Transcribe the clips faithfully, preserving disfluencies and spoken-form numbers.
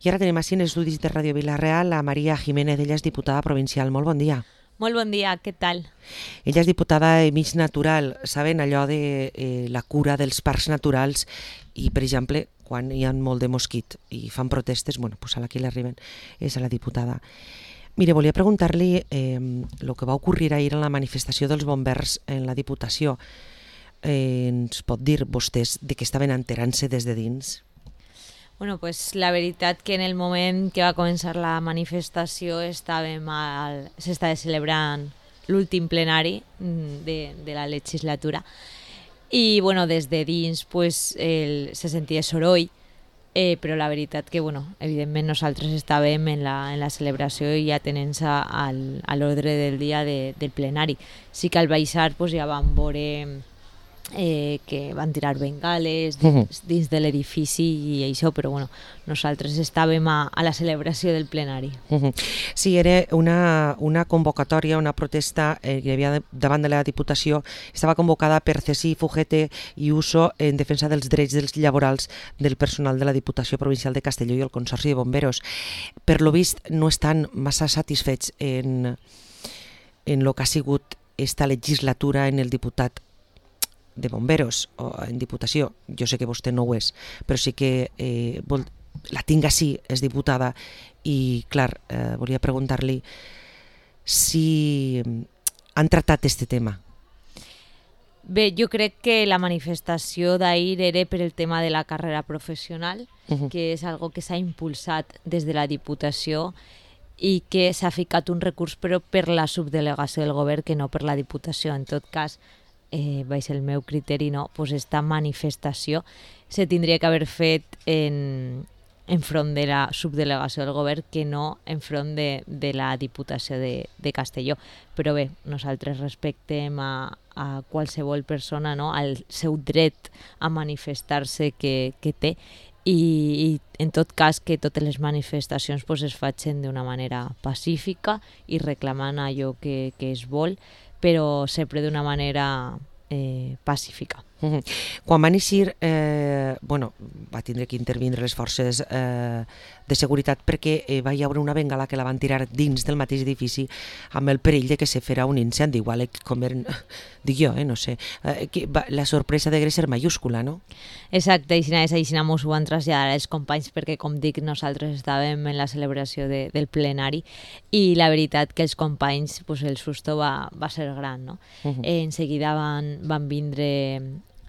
I ara tenim així en estudis de Ràdio Vila-real a Maria Jiménez, ella és diputada provincial. Molt bon dia. Molt bon dia, què tal? Ella és diputada de Mig Natural. Saben allò de eh, la cura dels parcs naturals i, per exemple, quan hi ha molt de mosquit i fan protestes, bueno, pues a la que l'arriben és a la diputada. Mire, volia preguntar-li eh, el que va ocorrir ahir en la manifestació dels bombers en la Diputació. Eh, ens pot dir vostès de què estaven enterant-se des de dins? Bueno, pues la veritat que en el moment que va començar la manifestació estàvem al... s'estava celebrant l'últim plenari de, de la legislatura i bueno, des de dins pues, el, se sentia soroll, eh, però la veritat que bueno, evidentment nosaltres estàvem en la, en la celebració i atenent-se al, a l'ordre del dia de, del plenari. Sí que al baixar pues, ja vam veure Eh, que van tirar bengales dins, uh -huh. dins de l'edifici i això, però bueno, nosaltres estàvem a, a la celebració del plenari. Uh -huh. Sí, era una, una convocatòria, una protesta eh, que hi havia davant de la Diputació, estava convocada per Cesi, Fugete i Uso en defensa dels drets dels laborals del personal de la Diputació Provincial de Castelló i el Consorci de Bomberos. Per lo vist no estan massa satisfets en, en lo que ha sigut esta legislatura en el diputat de bomberos o en Diputació. Jo sé que vostè no ho és, però sí que eh, vol, la tinc així, és diputada, i clar, eh, volia preguntar-li si han tratat este tema. Bé, jo crec que la manifestació d'ahir era per el tema de la carrera professional, uh-huh. que és algo que s'ha impulsat des de la Diputació i que s'ha ficat un recurs però per la subdelegació del govern que no per la Diputació. En tot cas, Eh, baix el meu criteri, no, pues esta manifestació se tindria que haver fet en, en front de la subdelegació del govern que no en front de, de la Diputació de, de Castelló. Però bé, nosaltres respectem a, a qualsevol persona, no, al seu dret a manifestar-se que, que té i, i en tot cas que totes les manifestacions pues, es facin d'una manera pacífica i reclamant allò que, que es vol, però sempre d'una manera eh, pacífica. Uh -huh. Quan van eixir, eh, bueno, va tindre que intervindre les forces eh, de seguretat perquè eh, va hi haver una bengala que la van tirar dins del mateix edifici amb el perill de que se fera un incendi, igual com eren, dic jo, eh, no sé, eh, que va, la sorpresa de ser mayúscula, no? Exacte, i així mos ho van traslladar els companys perquè, com dic, nosaltres estàvem en la celebració de, del plenari i la veritat que els companys, pues, el susto va, va ser gran, no? Uh -huh. eh, en seguida van, van vindre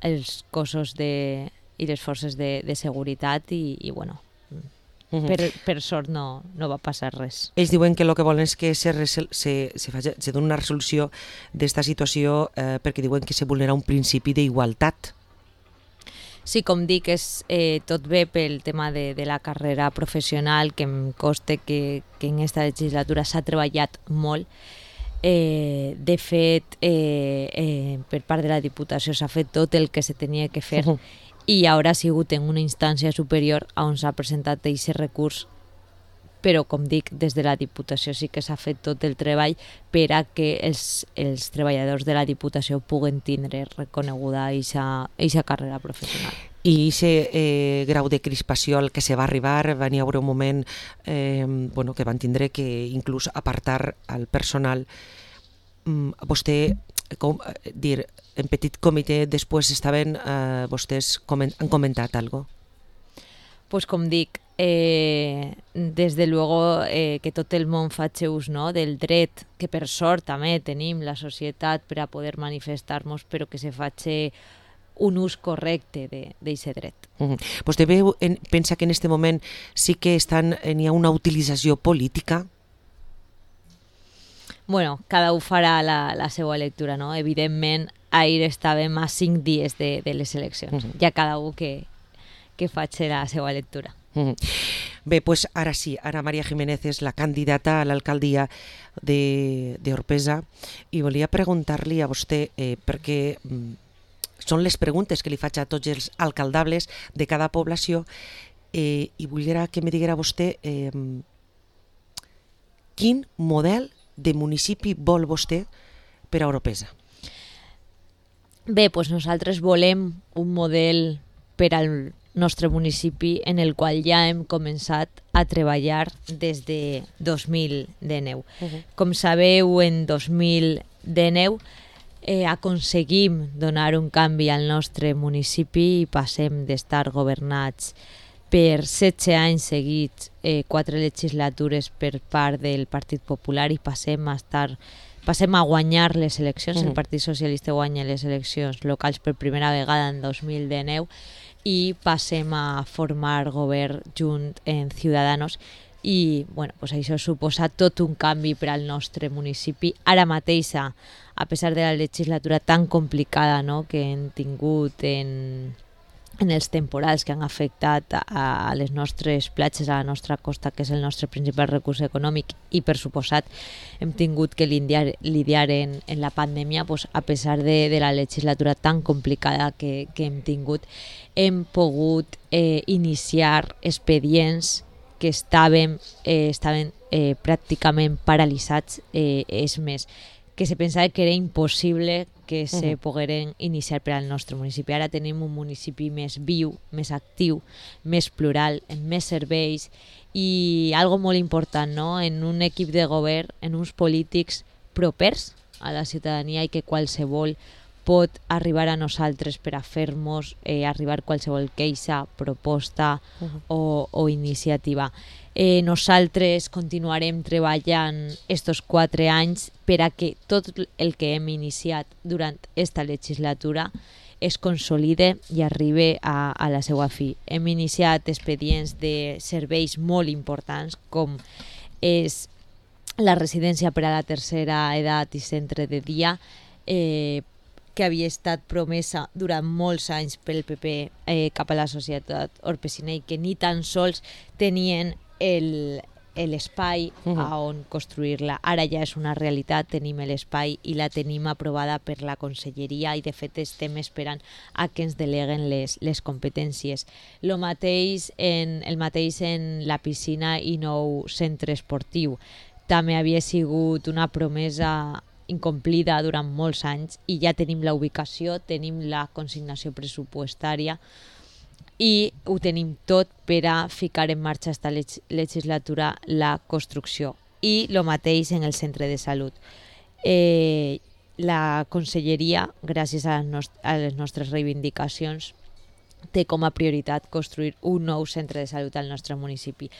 els cossos de, i les forces de, de seguretat i, i bueno, uh -huh. per, per sort no, no va passar res. Ells diuen que el que volen és que se, se, se, se, se doni una resolució d'esta situació eh, perquè diuen que se vulnera un principi d'igualtat. Sí, com dic, és eh, tot bé pel tema de, de la carrera professional, que em consta que, que en aquesta legislatura s'ha treballat molt. Eh, de fet, eh, eh, per part de la Diputació s'ha fet tot el que se tenia que fer uh -huh. i ara ha sigut en una instància superior on s'ha presentat aquest recurs, però com dic, des de la Diputació sí que s'ha fet tot el treball per a que els, els treballadors de la Diputació puguen tindre reconeguda aquesta carrera professional. I aquest eh, grau de crispació al que se va arribar, va n'hi haver un moment eh, bueno, que van tindre que inclús apartar al personal. Mm, vostè, com dir, en petit comitè després estaven, eh, vostès coment, han comentat alguna cosa? Pues com dic, eh, des de luego eh, que tot el món faci ús, no, del dret, que per sort també tenim la societat per a poder manifestar-nos, però que se faci un ús correcte d'aquest dret. Uh -huh. Vostè veu, en, pensa que en aquest moment sí que estan, n'hi ha una utilització política? Bueno, cada un farà la, la seva lectura, no? Evidentment, ahir estàvem a cinc dies de, de les eleccions. Uh -huh. Ja cada un que, que faci la seva lectura. Uh -huh. Bé, doncs ara sí, ara Maria Jiménez és la candidata a l'alcaldia d'Orpesa i volia preguntar-li a vostè, eh, perquè són les preguntes que li faig a tots els alcaldables de cada població eh, i volia que me diguera vostè eh, quin model de municipi vol vostè per a Orpesa. Bé, doncs nosaltres volem un model per al nostre municipi, en el qual ja hem començat a treballar des de dos mil dinou. Uh-huh. Com sabeu, en dos mil dinou eh, aconseguim donar un canvi al nostre municipi i passem d'estar governats per setze anys seguits, eh, quatre legislatures per part del Partit Popular, i passem a estar passem a guanyar les eleccions. Mm. El Partit Socialista guanya les eleccions locals per primera vegada en dos mil dinou i passem a formar govern junt en Ciudadanos, i bueno, pues això suposa tot un canvi per al nostre municipi. Ara mateix, a pesar de la legislatura tan complicada, no?, que hem tingut en en els temporals que han afectat a, a les nostres platges, a la nostra costa, que és el nostre principal recurs econòmic, i per suposat hem tingut que lidiar, lidiar en, en la pandèmia, pues, a pesar de, de la legislatura tan complicada que, que hem tingut, hem pogut eh, iniciar expedients que estaven, eh, estaven eh, pràcticament paralitzats. Eh, és més, que se pensava que era impossible que se uh-huh. pogueren iniciar per al nostre municipi. Ara tenim un municipi més viu, més actiu, més plural, amb més serveis, i algo molt important, no?, en un equip de govern, en uns polítics propers a la ciutadania, i que qualsevol pot arribar a nosaltres per a fer-nos eh, arribar qualsevol queixa, proposta uh-huh. o, o iniciativa. Eh, nosaltres continuarem treballant estos quatre anys per a que tot el que hem iniciat durant esta legislatura es consolide i arribi a, a la seva fi. Hem iniciat expedients de serveis molt importants, com és la residència per a la tercera edat i centre de dia, eh, que havia estat promesa durant molts anys pel P P eh, cap a la societat orpesina, i que ni tan sols tenien el, l'espai uh-huh. a on construir-la. Ara ja és una realitat, tenim l'espai i la tenim aprovada per la Conselleria, i de fet estem esperant a que ens deleguen les, les competències. Lo mateix en, el mateix en la piscina i nou centre esportiu. També havia sigut una promesa incomplida durant molts anys, i ja tenim la ubicació, tenim la consignació pressupostària i ho tenim tot per a ficar en marxa esta leg- legislatura la construcció. I el mateix en el centre de salut. Eh, la Conselleria, gràcies a les, nost- a les nostres reivindicacions, té com a prioritat construir un nou centre de salut al nostre municipi.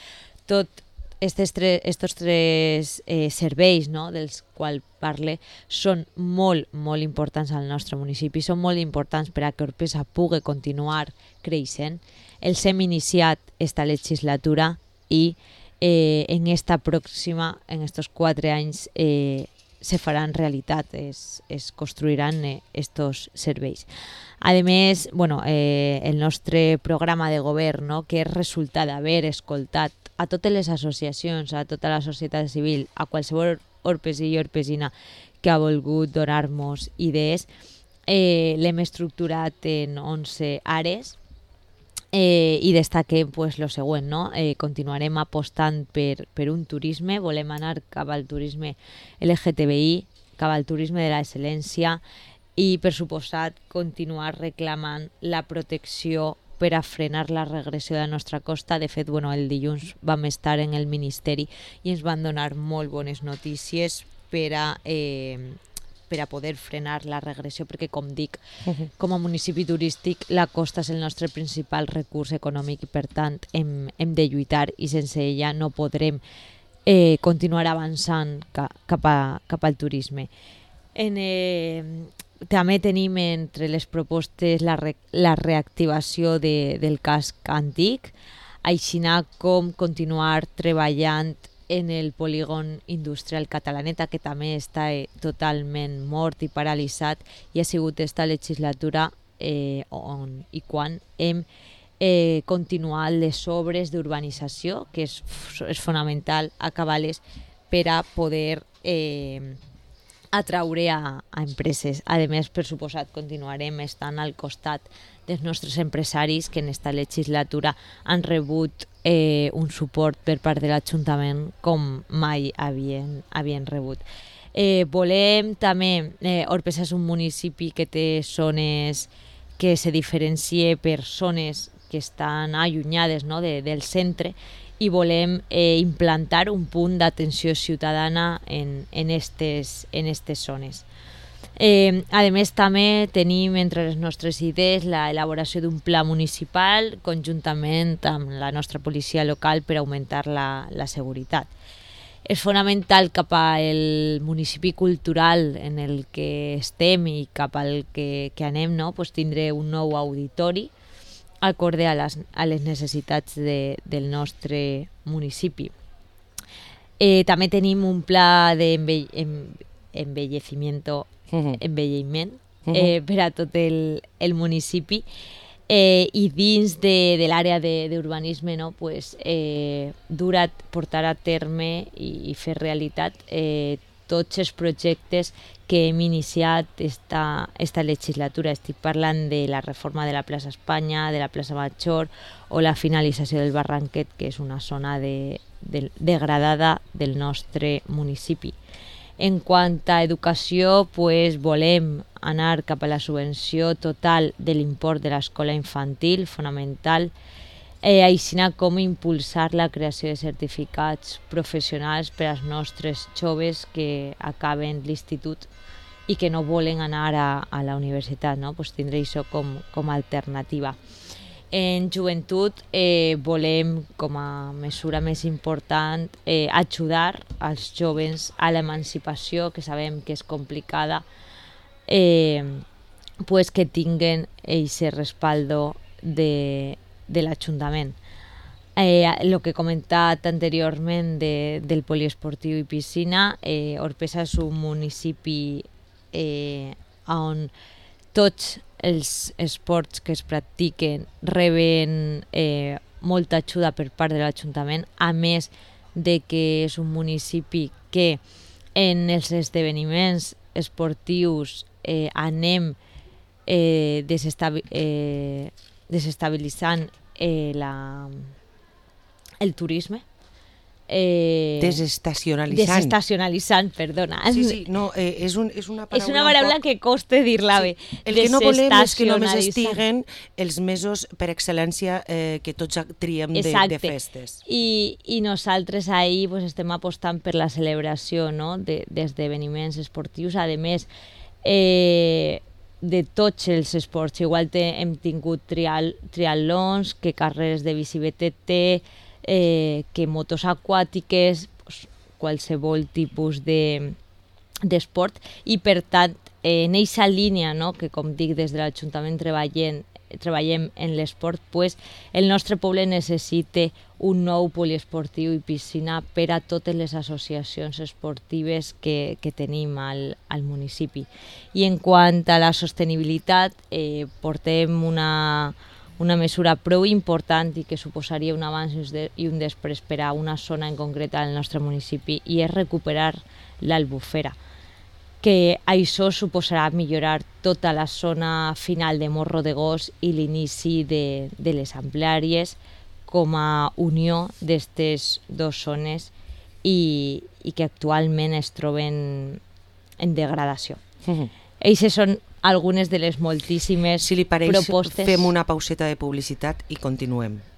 Tot Estos tres, estos tres eh, serveis, no?, dels quals parle, són molt, molt importants al nostre municipi, són molt importants per a que Orpesa pugui continuar creixent. Els hem iniciat esta legislatura i eh, en esta pròxima, en estos quatre anys, eh, se faran realitat, es, es construiran eh, estos serveis. A més, bueno, eh, el nostre programa de govern, no?, que és resultat d'haver escoltat a totes les associacions, a tota la societat civil, a qualsevol orpesí i orpesina que ha volgut donar-nos idees, eh, l'hem estructurat en onze àrees, eh, i destaquem pues, lo següent, no? Eh, continuarem apostant per, per un turisme, volem anar cap al turisme L G T B I, cap al turisme de l'excel·lència, i per suposat continuar reclamant la protecció per a frenar la regressió de la nostra costa. De fet, bueno, el dilluns vam estar en el Ministeri i ens van donar molt bones notícies per a, eh, per a poder frenar la regressió, perquè, com dic, uh-huh. com a municipi turístic, la costa és el nostre principal recurs econòmic i, per tant, hem, hem de lluitar, i sense ella no podrem eh, continuar avançant ca, cap, a, cap al turisme. En... Eh, També tenim entre les propostes la, re, la reactivació de, del casc antic, així com continuar treballant en el polígon industrial Catalaneta, que també està eh, totalment mort i paralitzat, i ha sigut esta legislatura eh, on i quan hem eh, continuat les obres d'urbanització, que és, és fonamental acabar-les per a poder eh, atraure a, a empreses. A més, per suposat, continuarem estant al costat dels nostres empresaris, que en esta legislatura han rebut eh, un suport per part de l'Ajuntament com mai havien, havien rebut. Eh, volem també, eh, Orpesa és un municipi que té zones que se diferencie per zones que estan allunyades, no?, de, del centre, i volem eh, implantar un punt d'atenció ciutadana en, en, estes, en estes zones. Eh, a més, també tenim entre les nostres idees l'elaboració d'un pla municipal conjuntament amb la nostra policia local per augmentar la, la seguretat. És fonamental cap al municipi cultural en el que estem i cap al que, que anem, no?, pues tindre un nou auditori acorde a les, a les necessitats de, del nostre municipi. Eh, també tenim un pla d'envelleciment envelliment eh, per a tot el, el municipi eh, i dins de, de l'àrea d'urbanisme, no, pues, eh, dur a portar a terme i, i fer realitat eh, tots els projectes que hem iniciat esta, esta legislatura. Estic parlant de la reforma de la plaça Espanya, de la plaça Major o la finalització del Barranquet, que és una zona de, de, degradada del nostre municipi. En quant a educació, pues, volem anar cap a la subvenció total de l'import de l'escola infantil, fonamental, eh, així com impulsar la creació de certificats professionals per als nostres joves que acaben l'institut i que no volen anar a, a la universitat, no? Pues tindre això com, com a alternativa. En joventut eh, volem, com a mesura més important, eh, ajudar als joves a l'emancipació, que sabem que és complicada, eh, pues que tinguen aquest respaldo de, de l'Ajuntament. Eh, el que he comentat anteriorment de, del poliesportiu i piscina, eh, Orpesa és un municipi eh, on tots els esports que es practiquen reben eh, molta ajuda per part de l'Ajuntament, a més de que és un municipi que en els esdeveniments esportius eh, anem eh, desestabi eh, desestabilitzant eh, la, el turisme. Eh, desestacionalitzant. Desestacionalitzant, perdona. Sí, sí, no, eh, és, un, és una paraula... És una paraula poc... que costa dir-la bé. Sí. El que no volem és que només estiguen els mesos per excel·lència eh, que tots triem de, de festes. I, i nosaltres ahir pues, estem apostant per la celebració, no?, d'esdeveniments de, esportius. A més, eh, de tots els esports. Igual te, hem tingut trial, triatlons, que carreres de bici B T T, Eh, que motos aquàtiques, pues, qualsevol tipus d'esport, de, i per tant eh, en aquesta línia, no?, que com dic des de l'Ajuntament treballem, treballem en l'esport, pues, el nostre poble necessita un nou poliesportiu i piscina per a totes les associacions esportives que, que tenim al, al municipi. I en quant a la sostenibilitat, eh, portem una una mesura prou important i que suposaria un abans i un després per a una zona en concret al nostre municipi, i és recuperar l'Albufera, que això suposarà millorar tota la zona final de Morro de Gos i l'inici de, de les ampliàries com a unió d'aquestes dues zones i, i que actualment es troben en degradació. Mm-hmm. Eixes són algunes de les moltíssimes si li pareix, propostes. Fem una pauseta de publicitat i continuem.